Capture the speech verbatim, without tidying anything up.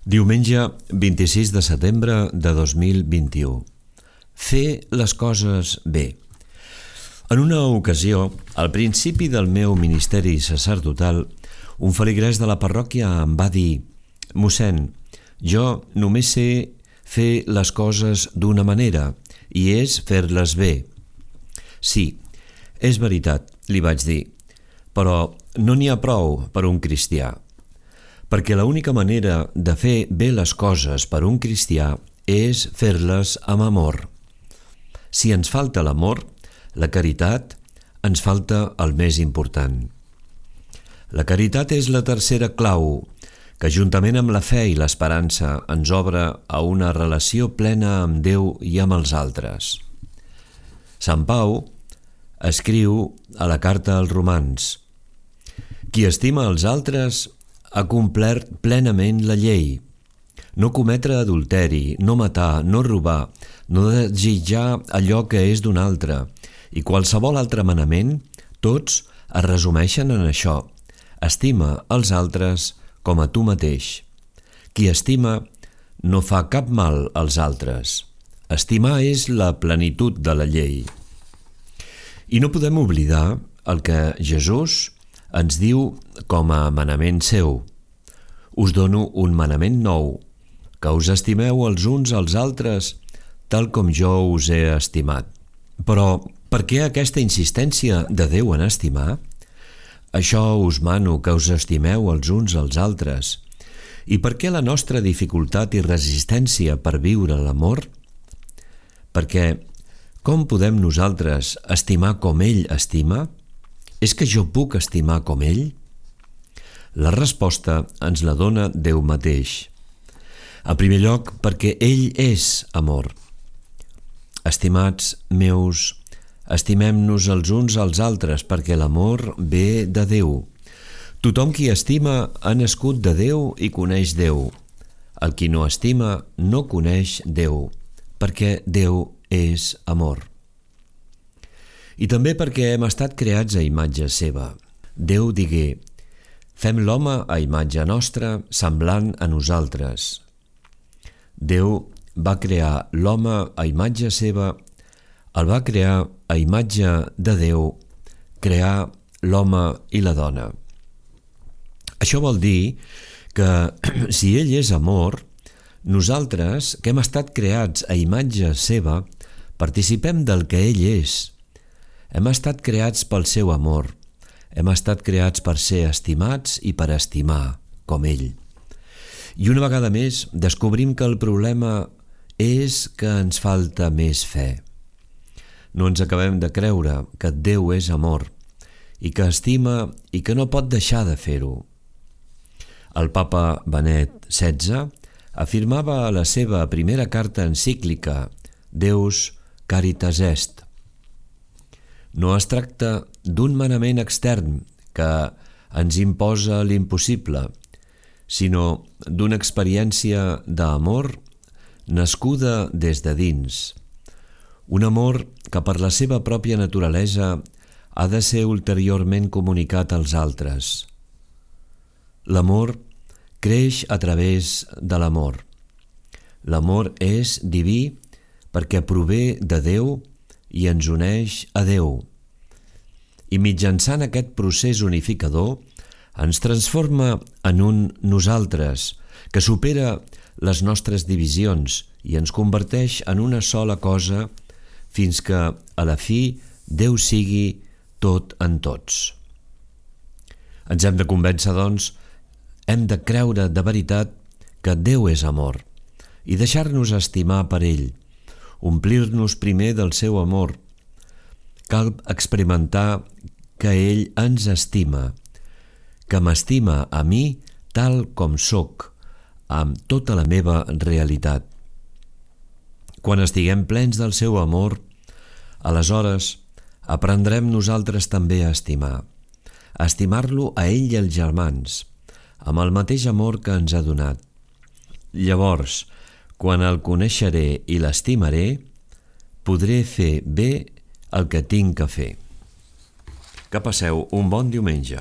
Diumenge vint-i-sis de setembre de dos mil vint-i-u. Fer les coses bé. En una ocasió, al principi del meu ministeri sacerdotal, un feligrès de la parròquia em va dir: «Mossèn, jo només sé fer les coses d'una manera, i és fer-les bé». «Sí, és veritat», li vaig dir, «però no n'hi ha prou per un cristià, perquè l'única manera de fer bé les coses per un cristià és fer-les amb amor. Si ens falta l'amor, la caritat, ens falta el més important. La caritat és la tercera clau, que juntament amb la fe i l'esperança ens obre a una relació plena amb Déu i amb els altres». Sant Pau escriu a la carta als Romans: «Qui estima els altres ha complert plenament la llei. No cometre adulteri, no matar, no robar, no desitjar allò que és d'un altre, i qualsevol altre manament, tots es resumeixen en això: estima els altres com a tu mateix. Qui estima no fa cap mal als altres. Estimar és la plenitud de la llei». I no podem oblidar el que Jesús ens diu com a manament seu: «Us dono un manament nou, que us estimeu els uns als altres tal com jo us he estimat». Però per què aquesta insistència de Déu en estimar? «Això us mano, que us estimeu els uns als altres». I per què la nostra dificultat i resistència per viure l'amor? Perquè com podem nosaltres estimar com ell estima? És que jo puc estimar com ell? La resposta ens la dona Déu mateix. En primer lloc, perquè ell és amor. «Estimats meus, estimem-nos els uns als altres, perquè l'amor ve de Déu. Tothom qui estima ha nascut de Déu i coneix Déu. El qui no estima no coneix Déu, perquè Déu és amor». I també perquè hem estat creats a imatge seva. Déu digué: «Fem l'home a imatge nostra, semblant a nosaltres». Déu va crear l'home a imatge seva, el va crear a imatge de Déu, crear l'home i la dona. Això vol dir que si ell és amor, nosaltres, que hem estat creats a imatge seva, participem del que ell és. Hem estat creats pel seu amor, hem estat creats per ser estimats i per estimar, com ell. I una vegada més descobrim que el problema és que ens falta més fe. No ens acabem de creure que Déu és amor i que estima i que no pot deixar de fer-ho. El papa Benet setze afirmava a la seva primera carta encíclica Deus Caritas Est: «No es tracta d'un manament extern que ens imposa l'impossible, sinó d'una experiència d'amor nascuda des de dins. Un amor que per la seva pròpia naturalesa ha de ser ulteriorment comunicat als altres. L'amor creix a través de l'amor. L'amor és diví perquè prové de Déu i ens uneix a Déu. I mitjançant aquest procés unificador ens transforma en un nosaltres que supera les nostres divisions i ens converteix en una sola cosa fins que, a la fi, Déu sigui tot en tots». Ens hem de convèncer, doncs, hem de creure de veritat que Déu és amor i deixar-nos estimar per ell, omplir-nos primer del seu amor. Cal experimentar que ell ens estima, que m'estima a mi tal com sóc, amb tota la meva realitat. Quan estiguem plens del seu amor, aleshores aprendrem nosaltres també a estimar, a estimar-lo a ell i als germans, amb el mateix amor que ens ha donat. Llavors, quan el coneixeré i l'estimaré, podré fer bé el que tinc que fer. Que passeu un bon diumenge.